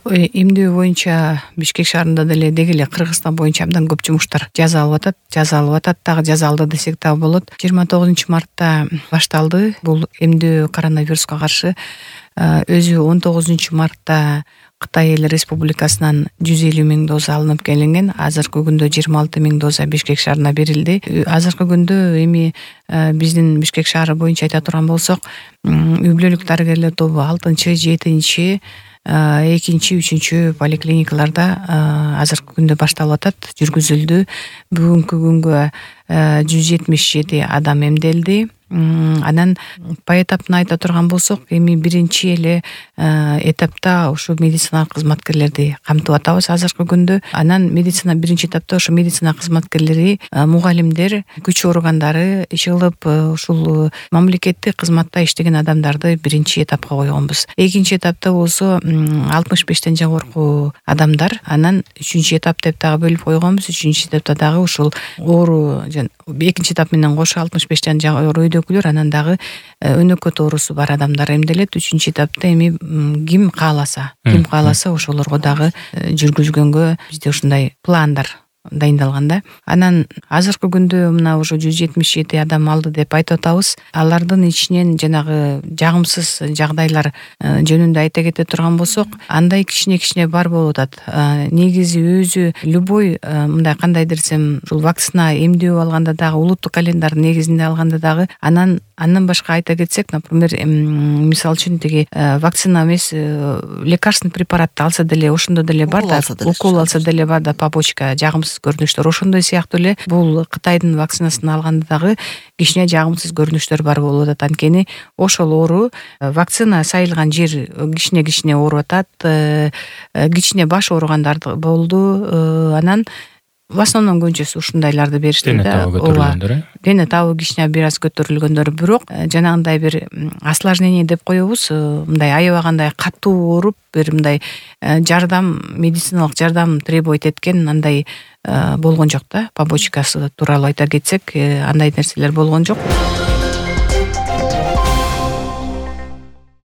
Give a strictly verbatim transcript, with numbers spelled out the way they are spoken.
Эмдөө боюнча Бишкек шаарында деле деги эле Кыргызстан боюнча абдан көп жумуштар жасалып атат, жасалып атат дагы жасалды десек дагы болот. жыйырма тогузунчу мартта башталды бул эмдөө коронавируска каршы. Өзү он тогузунчу мартта Кытай Эл Республикасынан жүз элүү миң доза алынып келинген. Азыркы күндө жыйырма алты миң доза Бишкек шаарына берилди. Азыркы күндө эми биздин Бишкек шаары боюнча айта турган болсок, үй бүлөлүк дарыгерлер тобу алтынчы, жетинчи, экинчи, үчүнчү поликлиникаларда азыркы күндө башталып атат, жүргүзүлдү. Бүгүнкү күнгө жүз жетимиш жети адам эмделди. Анан поэтаптын айта турган болсок, эми биринчи эле этапта ушу медицина кызматкерлерди камтып атабыз азыркы күндө. Анан медицина биринчи этапта ошо медицина кызматкерлери, мугалимдер, күч органдары, иш кылып ушул мамлекеттик кызматта иштеген адамдарды биринчи этапка койгонбуз. Экинчи этапта болсо алтымыш бештен жогорку адамдар. Анан үчүнчү этап деп дагы бөлүп койгонбуз. Үчүнчү этапта дагы ушул оору, экинчи этап менен кошо алтымыш бештен жогору өйдөкүлөр, анан дагы өнөкөт оорусу бар адамдар эмделет. Үчүнчү этапта эми ким кааласа, ким кааласа ошолорго дагы жүргүзгөнгө бизде ушундай пландар дайындалган да. Анан азыркы күндө мына уже жүз жетимиш жети адам алды деп айтып атабыз. Алардын ичинен жанагы жагымсыз жагдайлар жөнүндө айта кете турган болсок, андай кичине-кичине бар болуп атат. Негизи өзү любой мындай кандай десем, ушул вакцина эмдөө алганда дагы, улуттук календарь негизинде алганда дагы, анан андан башка айта кетсек, например, мисалы үчүн тиги вакцина эмес, лекарственный препаратты алса деле ошондо деле бар да, укол алса деле бар да, побочка, жагымсыз көрүнүштөр. Ошондой сыяктуу эле бул Кытайдын вакцинасын алганда дагы кичине жагымсыз көрүнүштөр бар болуп атат. Анткени ошол оору вакцина сайылган жер кичине-кичине ооруп атат, кичине баш ооругандар болду. Анан в основном көбүнчөсү ушундайларды беришти да. Ооба, дене табы кичине бир аз көтөрүлгөндөр, бирок жанагындай бир осложнение деп коебуз, мындай аябагандай катуу ооруп, бир мындай жардам, медициналык жардам требовать эткен андай болгон жок да. Побочкасы тууралуу айта кетсек, андай нерселер болгон жок.